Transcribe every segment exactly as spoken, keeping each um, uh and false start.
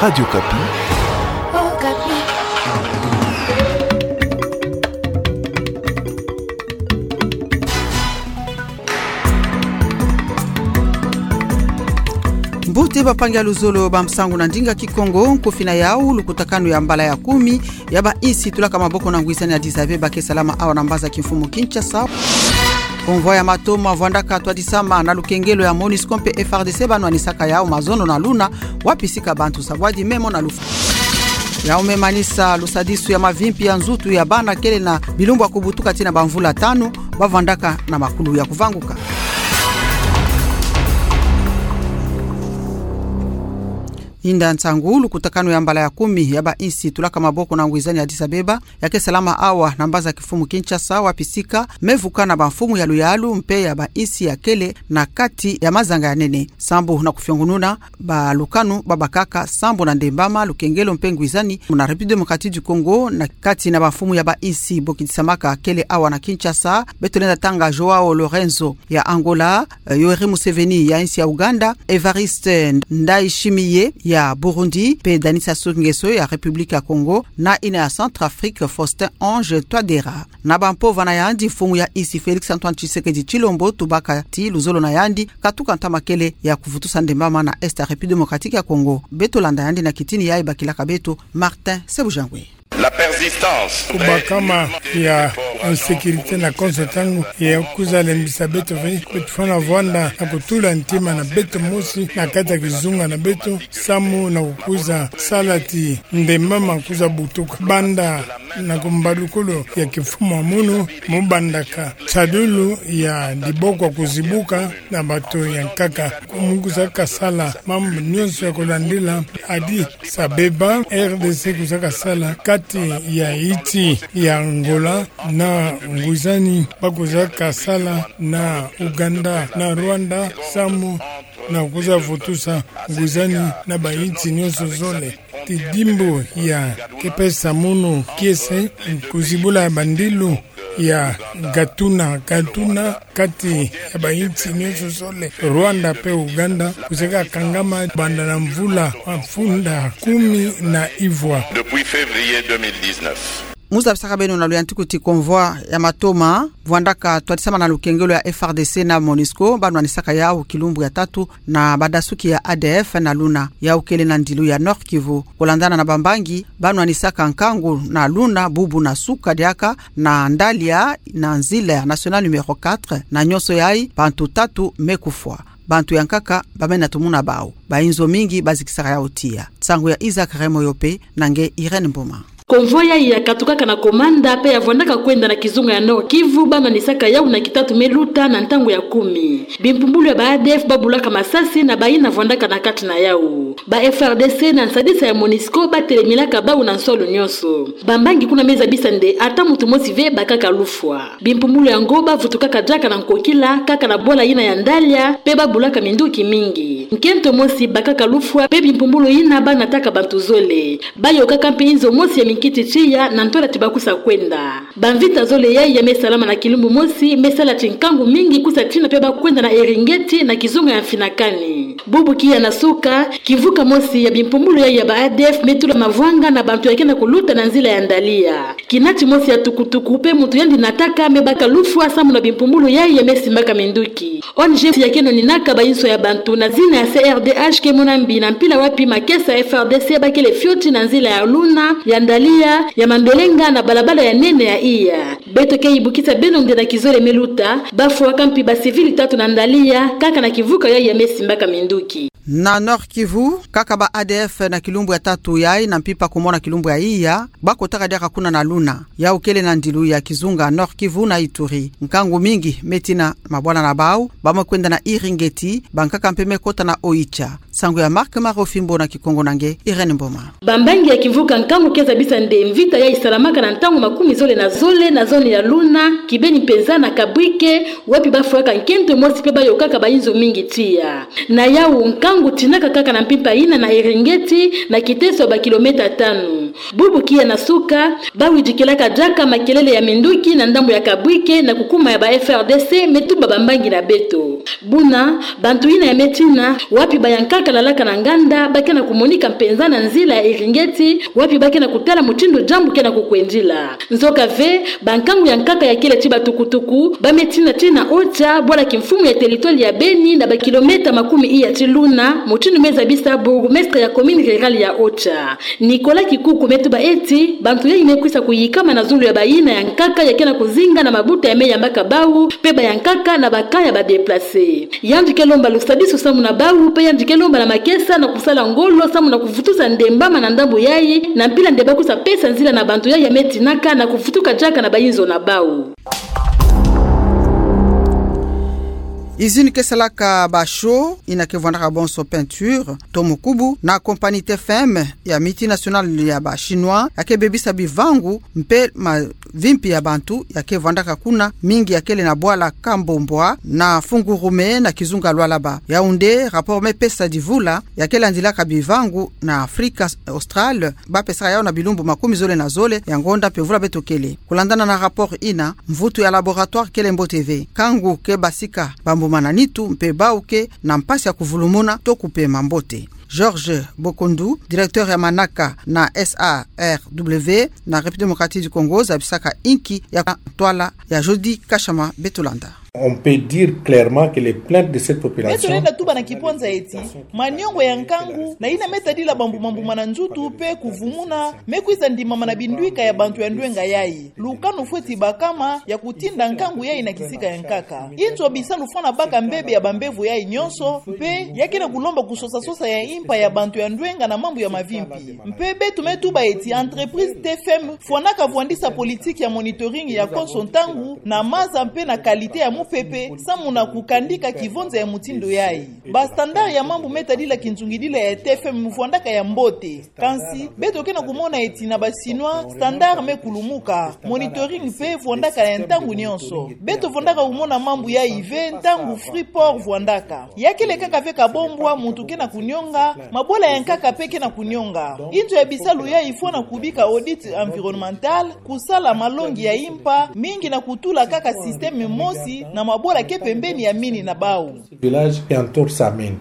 Radio Okapi. Mbote bampangi ya luzolo ba nsangu na ndinga Kikongo, nkofi na yau, lukutakanu ya mbala ya kumi ya bainsi tulaka maboko na ngwizani ya Addis Abeba ke salama awa na mbazi kimfumu Kinshasa. Convoi ya matoma vwandaka twadisama na lukengelo ya MONUSCO mpe F R D C ba nwanisaka yau mazono na luna, wapi sika bantu sabwadi memo na lufu. Yau me manisa lusadisu ya mavimpi ya nzutu ya bana kele na bilumbu ya kubutuka tii na bamvula tanu, ba vwandaka na makulu ya kuvanguka. Inda nsangu, lukutakanu ya mbala ya kumi ya bainsi tulaka maboko na ngwizani ya Addis Abeba, ya ke salama awa na mbazi kimfumu Kinshasa, wapi sika me vuka na bamfumu ya luyalu mpe ya bainsi ya kele na kati ya mazanga ya nene. Sambu na kufiongununa balukanu babakaka, sambu na ndembama, lukengelo mpe ngwizani muna République Démocratique du Congo, na kati na bamfumu ya bainsi bokidisamaka kele awa na Kinshasa, beto lenda tanga João Lourenço ya Angola, eh, Yoweri Museveni ya insi ya Uganda, Évariste Ndayishimiye ya Burundi, mpe Denis Sassou Nguesso ya République ya Congo, na ina ya Centrafrique, Faustin Archange Touadéra. Na bampova na yandi, mfumu ya insi Félix Antoine Tshisekedi Tshilombo tubaka ti luzolo na yandi katuka ntama kele ya kuvutusa ndembama na Est ya République Démocratique ya Congo. Beto landa yandi na kitini yayi bakilaka beto, Martin Sebujangwe. La persistance. Kubakama ya insécurité na konso ntangu ya kwiza lembisa beto ve, beto fwana vwanda na kutula ntima na beto mosi na kati ya kizunga na beto, samu na kukwiza sala ti ndembama kwiza butuka. Banda na kumbalukulu ya kimfumu ya munu, mu bandaka tadulu ya diboko kuzibuka na bato ya nkaka. Mu kwiza kasala mambu nyonso ya kulandila Addis Abeba, R D C kwiza kasala kati ya insi ya Angola na ngwizani ba kwiza kasala na Uganda na Rwanda, samu na kwiza vutusa ngwizani na bainsi nyonso zole. Tidimbu ya ke pesa munu kiese kuzibula bandilu ya gatuna gatuna kati ya bainsi nyonso zole. Rwanda mpe Uganda kwiza kakangama banda na mvula mafunda kumi na ivwa. Depuis février deux mille dix-neuf. Mu zabisaka beno na luyantiku ti convoi ya matoma vwandaka twadisama na lukengelo ya F R D C na MONUSCO ba nwanisaka yau kilumbu ya tatu na badasuki ya A D F na luna, yau kele na ndilu ya Nord-Kivu. Kulandana na bambangi, ba nwanisaka nkangu na luna bubu na suka diaka na Ndalia na nzila ya Nationale numéro quatre, na nyonso yayi bantu tatu me kufwa. Bantu ya nkaka ba mena tumuna bau. Bayinzo mingi bazikisaka yau tiya. Nsangu ya Isaac Remoyope na nge Irène Mboma. Convoi yayi ya katukaka na Komanda mpe ya vwandaka kwenda na kizunga ya Nord-Kivu ba nwanisaka yau na kitatu me luta na ntangu ya kumi. Bimpumbulu ya ba A D F ba bulaka masasi na bayina vwandaka na kati na yau. Ba F R D C na nsadisa ya MONUSCO ba telemelaka bau na nsolo nyonso. Bambangi kuna me zabisa nde ata muntu mosi ve bakaka lufwa. Bimpumbulu yango ba vutukaka diaka na nkokila, kaka na bwala yina ya Ndalia, mpe ba bulaka minduki mingi. Nkento mosi bakaka lufwa, mpe bimpumbulu yina ba nataka bantu zole. Ba yokaka mpe yinzo mosi ya minkiti tiya na ntwala ti ba kwiza kwenda. Bamvita zole yayi ya me salama na kilumbu mosi, me sala ti nkangu mingi kwiza tina mpe ba kwenda na Eringeti na kizunga ya Mfinakani. Bubu kiya na suka, kimvuka mosi ya bimpumbulu yayi ya ba A D F me tula mavwanga na bantu ya ke na kuluta na nzila ya Ndalia. Kinati mosi ya tukutuku mpe muntu yandi nataka me baka lufwa samu na bimpumbulu yayi ya me simbaka minduki. O N G ya ke noninaka bayinzo ya bantu na zina ya C R D H ke mona mbi na mpila wapi makesa F R D C ba kele fioti na nzila ya luna, ya Ndalia, ya Mambelenga na balabala ya nene ya iya. Beto ke yibukisa beno nde na kizole me luta, ba fwaka mpi ba civil tatu na Ndalia, kaka na kimvuka yayi ya me simbaka minduki. Na Nord-Kivu, kaka ba A D F na kilumbu ya tatu yayi na mpimpa kumona kilumbu ya iya, ba kotaka diaka kuna na luna. Yau kele na ndilu ya kizunga Nord-Kivu na Ituri. Nkangu mingi me tina mabwala na bau, ba me kwenda na Eringeti, bankaka mpe me kota na Oicha. Nsangu ya Marc Marofimbo na Kikongo na nge Irène Mboma. Bambangi ya kimvuka nkangu ke zabisa nde mvita yayi salamaka na ntangu makumi zole na zole na zone ya luna, kibeni mpenza na Kabwike, wapi ba fwaka nkento mosi mpe ba yokaka bayinzo mingi tiya. Na yau nkangu tinaka kaka na mpimpa yina na Eringeti, na kiteso ya ba kilomètre tanu. Bubu kiya na suka, ba widikilaka diaka makelele ya minduki na ndambu ya Kabwike na kukuma ya ba F R D C me tumba bambangi na beto. Buna, bantu yina ya me tina, wapi ba ya nkaka kalalaka na nganda, ba ke na kumonika mpenza na nzila ya Eringeti, wapi ba ke na kutala mutindu diambu ke na kukwendila. Nzoka ve, bankangu ya nkaka ya kele ti batukutuku ba me tina ti na Ocha, bwala kimfumu ya territoire ya Beni, na bakilomètre makumi iya ti luna, mutindu me zabisa bourgmestre ya commune rurale ya Ocha, Nicolas Kikuku, me tuba ti bantu yayi me kwisa kuyikama na zulu ya bayina ya nkaka ya ke na kuzinga na mabuta ya me yambaka bawu, mpe bayankaka na ba camp ya ba déplacés. Yandi ke lomba lusadisu samu na bawu, mpe yandi ke lomba na makesa na kusala ngolo samu na kuvutusa ndembama na ndambu yayi, na mpila nde ba kwisa pesa nzila na bantu yayi ya me tinaka na kuvutuka diaka na bayinzo na bawu. Usine ke salaka ba chaux, yina ke vwandaka bonso peinture, to mukubu, na compagnie T F M ya multinationale ya ba Chinois, ya ke bebisa bivangu mpe mavimpi ya bantu ya ke vwandaka kuna, mingi ya kele na bwala Kambombwa na Fungurume na kizunga Lualaba. Yaoundé, rapport me pesa divula ya ke landilaka bivangu na Afrika Australe, ba pesaka yawu na bilumbu makumi zole na zole ya ngonda mpe vula beto kele. Kulandana na rapport yina, mvutu ya laboratoire kele mbote ve. Nkangu ke basika bambuma na nitu mpe bawu ke na mpasi ya kuvulumuna to kupema mbote. Georges Bokondu, directeur ya manaka na S A R W na République Démocratique du Congo, zabisaka inki ya ntwala ya Jody Kashama. Beto landa. On peut dire clairement que les plaintes de cette population... Beto lenda tuba na kipwanza eti maniongo ya nkangu na yina me tadila bambuma-mbuma na nzutu mpe kuvumuna me kwisa ndimama na bindwika ya bantu ya ndwenga yayi. Lukanu fweti bakama ya kutinda nkangu yayi na kisika ya nkaka. Inzo bisalu fwana baka mbebe ya bambevo yayi nyonso, mpe ya ke na kulomba kusosa-sosa ya impa ya bantu ya ndwenga na mambu ya mavimpi. Mpe beto me tuba eti entreprise T F M fwanaka vwandisa politique ya monitoring ya konso ntangu na maza mpe na qualité ya mupepe, samu na kukandika kivonza ya mutindu yayi. Ba standard ya mambu me tadila kinzungidila ya T F M vwandaka ya mbote. Kansi, beto ke na kumona eti na ba Chinois, standard me kulumuka, monitoring mpe vwandaka ya ntangu nyonso. Beto vwandaka kumona mambu yayi ve ntangu Freeport vwandaka. Ya kele kaka ve Kabombwa muntu ke na kunionga, mabwala ya nkaka mpe ke na kunionga. Inzo ya bisalu yayi fwana kubika audit environnemental, kusala malongi ya impa, mingi na kutula kaka système mosi na mabwala ke pembeni ya mine na bawu. Village qui entoure sa mine.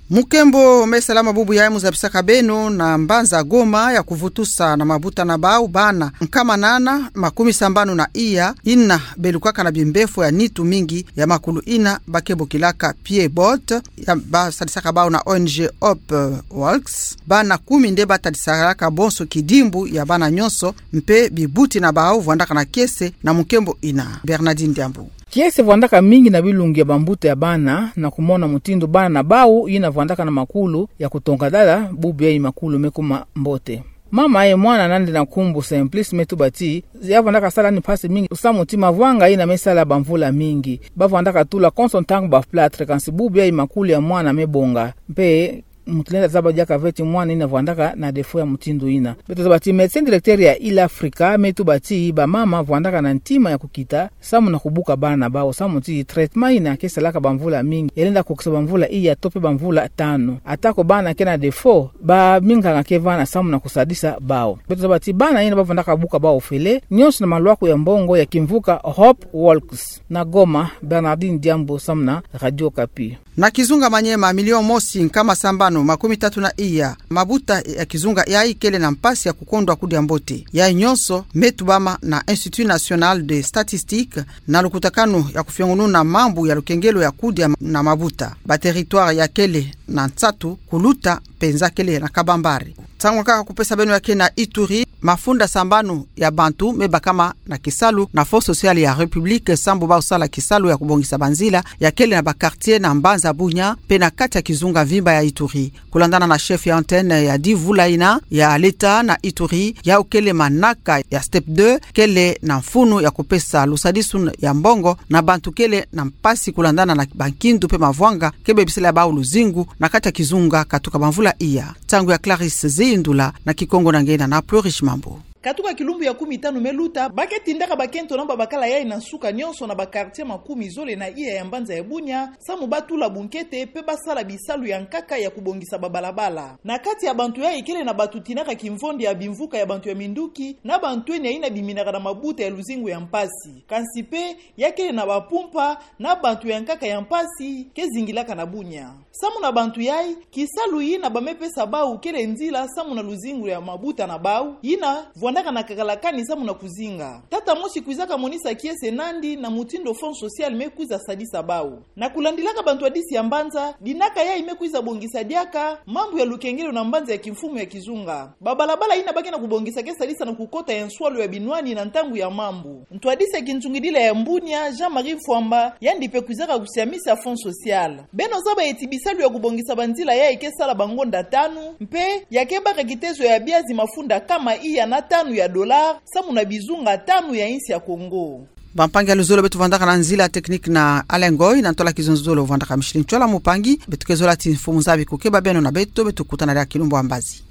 Mukembo me salama bubu yayi mu zabisaka beno na mbanza Goma ya kuvutusa na mabuta na bawu bana nkama nana makumi sambanu na iya, yina belukaka na bimbefo ya nitu mingi ya makulu yina ba ke bokilaka pied-bot, ya ba sadisaka bawu na O N G Hope Walks. Bana kumi nde ba tadisalaka bonso kidimbu ya bana nyonso, mpe bibuti na bawu vwandaka na kiese na mukembo yina. Bernardine Diambu. Kiese vwandaka mingi na bilungi ya bambuta ya bana, na kumona mutindu bana na bawu yina vwandaka na makulu ya kutonga dala, bubu yayi makulu me kuma mbote. Mama ya mwana nandi na nkumbu Simplice me tuba ti ya vwandaka sala ni mpasi mingi, samu ti mavwanga yina me sala bamvula mingi. Ba vwandaka tula konso ntangu ba plâtre, kansi bubu yayi makulu ya mwana me bonga. Mpe muntu lenda zaba diaka ve ti mwana yina vwandaka na défaut ya mutindu yina. Beto zaba ti médecin directeur ya Île Africa me tuba ti bamama vwandaka na ntima ya kukita samu na kubuka bana na bawu, samu ti traitement yina ke salaka bamvula mingi, ya lenda kukisa bamvula iya to mpe bamvula tanu. Atako bana ke na défaut, ba minganga ke vana samu na kusadisa bawu. Beto zaba ti bana yina ba vwandaka buka bawu ofele, nyonso na malwaku ya mbongo ya kimvuka Hope Walks. Na Goma, Bernardine Diambu samu na Radio Okapi. Na kizunga Maniema, milioni mosi nkama sambanu makumi tatu na iya mabuta ya kizunga yayi kele na mpasi ya kukondwa kudia mbote. Yayi nyonso me tubama na Institut National de Statistique na lukutakanu ya kufiongununa mambu ya lukengelo ya kudia na mabuta. Ba territoire ya kele na nsatu kuluta mpenza kele na kabambare. Nsangu kaka kupesa beno ya ke na Ituri, mafunda sambanu ya bantu me bakama na kisalu na Fonds Social ya République, sambu ba usala kisalu ya kubongisa banzila ya kele na ba quartier na mbanza Bunia, mpe na kati ya kizunga mvimba ya Ituri. Kulandana na chef ya antenne ya dix vula yina ya l'État na Ituri, yawu kele manaka ya step deux, kele na mfunu ya kupesa lusadisu ya mbongo na bantu kele na mpasi kulandana na bankindu mpe mavwanga ke bebisela bawu luzingu na kati ya kizunga katuka bamvula iya. Nsangu ya Clarisse Ziyindula na Kikongo na ngena na Plurish Mambu. Katuka kilumbu ya kumi tanu me luta, ba ke tindaka bakento na babakala yayi na nsuka nyonso na ba quartier makumi zole na iya ya mbanza ya Bunia, samu ba tula bunkete mpe ba sala bisalu ya nkaka ya kubongisa babalabala. Na kati ya bantu yayi kele na bantu tinaka kimvondi ya bimvuka ya bantu ya minduki, na bantu eni ya yina biminaka na mabuta ya luzingu ya mpasi. Kansi mpe, ya kele na bapumpa, na bantu ya nkaka ya mpasi ke zingilaka na Bunia. Samu na bantu yayi, kisalu yina ba me pesa bawu kele nzila samu na luzingu ya mabuta na bawu, yina vwandaka na kakalakani samu na kuzinga. Tata mosi kwizaka monisa kiese nandi na mutindu Fonds Social me kwiza sadisa bawu. Na kulandilaka bantwadisi ya mbanza, dinaka yayi me kwiza bongisa diaka mambu ya lukengelo na mbanza ya kimfumu ya kizunga. Ba balabala yina ba ke na kubongisa ke sadisa na kukota ya nswalu ya binwani na ntangu ya mambu. Ntwadisi ya kintungidila ya Mbunia, Jean-Marie Mfwamba, yandi mpe kwizaka kusiamisa Fonds Social. Beno zaba eti bisalu ya kubongisa banzila yayi ke sala ba ngonda tanu, mpe ya ke baka kitezo ya biazi mafunda kama iya na tanu ya dollars, samu na bizunga tanu ya insi ya Kongo. Bampangi ya luzolo, beto vwandaka na nzila technique na Alain Ngoy, na ntola kizonzolo vwandaka Micheline Tchwala. Mpangi, beto ke zola ti mfumu nzabi ko ke ba beno na beto, beto kutana diaka kilumbu ya mbazi.